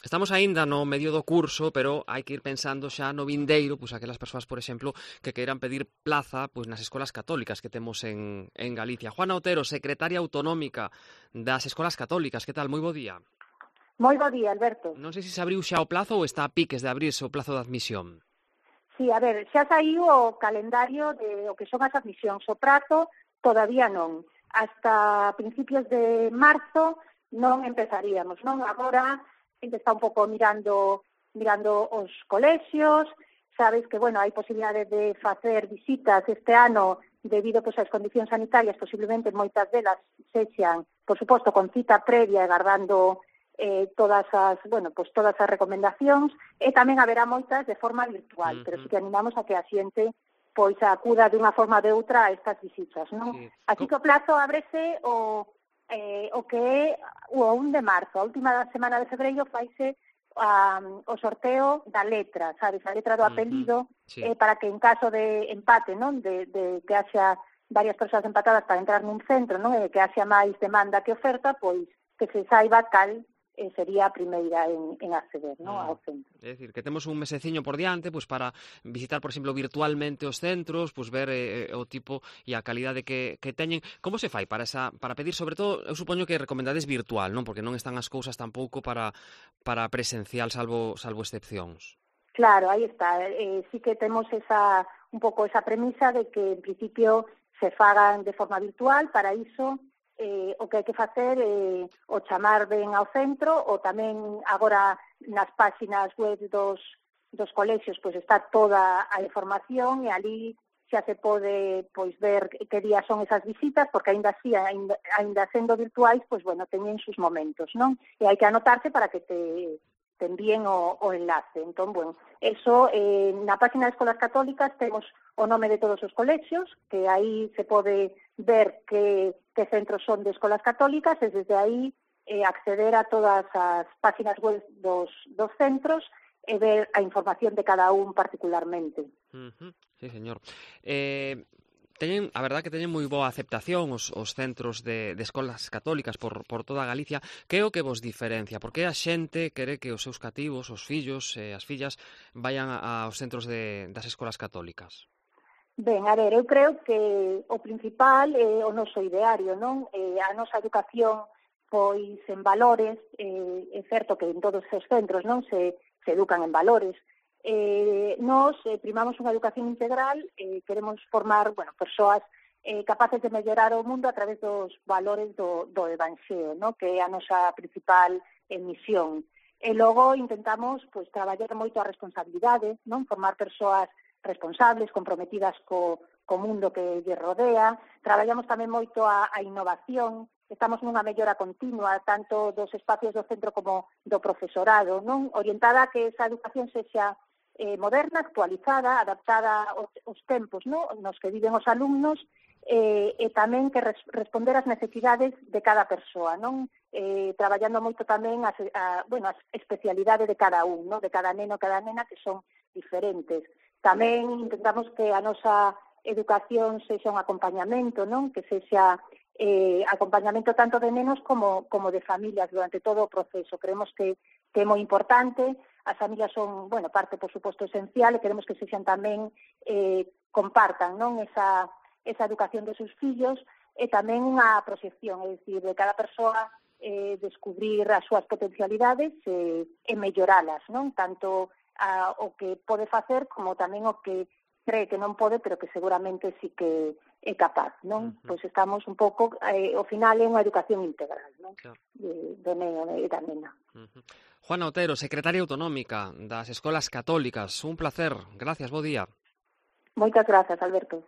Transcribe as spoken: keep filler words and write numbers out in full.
Estamos aínda no medio do curso, pero hai que ir pensando xa no vindeiro, pois aquelas persoas, por exemplo, que queiran pedir plaza pois nas escolas católicas que temos en, en Galicia. Juana Otero, secretaria autonómica das escolas católicas, que tal? Moi bo día. Moi bo día, Alberto. Non sei se se abriu xa o plazo ou está a piques de abrirse o plazo de admisión. Sí, a ver, xa saiu o calendario de o que son as admisións. O prazo todavía non. Hasta principios de marzo non empezaríamos, non? Agora xente está un pouco mirando mirando os colexios, sabes que, bueno, hai posibilidade de facer visitas este ano debido pois, ás condicións sanitarias, posiblemente moitas delas sexan, por suposto, con cita previa e guardando eh, todas as, bueno, pues todas as recomendacións, e tamén haberá moitas de forma virtual, uh-huh. pero sí que animamos a que a xente pois acuda de unha forma ou de outra a estas visitas, non? Sí. Así que o plazo ábrese o eh, o que é o un de marzo, a última semana de febreiro faise um, o sorteo da letra, sabes, a letra do apelido, uh-huh. sí. eh, para que en caso de empate, non, de, de que haxa varias persoas empatadas para entrar nun centro, non, e que haxa máis demanda que oferta, pois que se saiba cal eh, sería a primeira en, en acceder, non, ao centro. É dicir, que temos un meseciño por diante pois para visitar, por exemplo, virtualmente os centros, pois ver eh, o tipo e a calidade que, que teñen. Como se fai para esa para pedir, sobre todo, eu supoño que recomendades virtual, non? Porque non están as cousas tampouco para para presencial, salvo salvo excepcións. Claro, aí está. Eh, sí que temos esa un pouco esa premisa de que en principio se fagan de forma virtual, para iso Eh, o que hai que facer é eh, o chamar ben ao centro, ou tamén agora nas páxinas web dos, dos colexios pois está toda a información e ali xa se pode pois ver que días son esas visitas, porque aínda así, aínda, aínda sendo virtuais, pois bueno, teñen sus momentos, non? E hai que anotarse para que te, te envíen o, o enlace. Entón, bueno, eso, eh, na página de Escolas Católicas temos o nome de todos os colexios, que aí se pode ver que, que centros son de escolas católicas e desde aí eh, acceder a todas as páginas web dos, dos centros e ver a información de cada un particularmente. Uh-huh. Sí, señor. Eh... Teñen, a verdad que teñen moi boa aceptación os, os centros de, de escolas católicas por, por toda Galicia. Que é o que vos diferencia? Por que a xente quere que os seus cativos, os fillos e eh, as fillas vayan a, aos centros de, das escolas católicas? Ben, a ver, eu creo que o principal é o noso ideario, non? Eh, a nosa educación, pois, en valores, eh, é certo que en todos os centros, non, se, se educan en valores. Eh, nós eh, primamos unha educación integral, eh, queremos formar, bueno, persoas eh, capaces de mellorar o mundo a través dos valores do, do Evanxeo, non? Que é a nosa principal eh, misión. E logo intentamos, pois, traballar moito a responsabilidade, non? Formar persoas responsables, comprometidas co, co mundo que lle rodea. Traballamos tamén moito a, a innovación, estamos nunha mellora continua, tanto dos espacios do centro como do profesorado, non? Orientada a que esa educación sexa eh, moderna, actualizada, adaptada aos, aos tempos, non? Nos que viven os alumnos, eh, e tamén que res, responder ás necesidades de cada persoa, non? Eh, traballando moito tamén as, a, bueno, as especialidades de cada un, non? De cada neno, cada nena, que son diferentes. Tamén intentamos que a nosa educación sexa un acompañamento, non? Que sexa eh, acompañamento tanto de nenos como, como de familias durante todo o proceso. Creemos que, que é moi importante, as familias son, bueno, parte, por suposto, esencial, e queremos que sexan tamén, eh, compartan, non? Esa, esa educación dos seus fillos, e tamén unha proxección, é dicir, de cada persoa eh, descubrir as súas potencialidades e, e melloralas, non? Tanto a, o que pode facer como tamén o que cree que non pode, pero que seguramente sí que é capaz, non? Uh-huh. Pois estamos un pouco, eh, ao final é unha educación integral, non? Claro. De, do neno e da nena. Uh-huh. Juana Otero, secretaria autonómica das Escolas Católicas, un placer. Gracias, bo día. Moitas grazas, Alberto.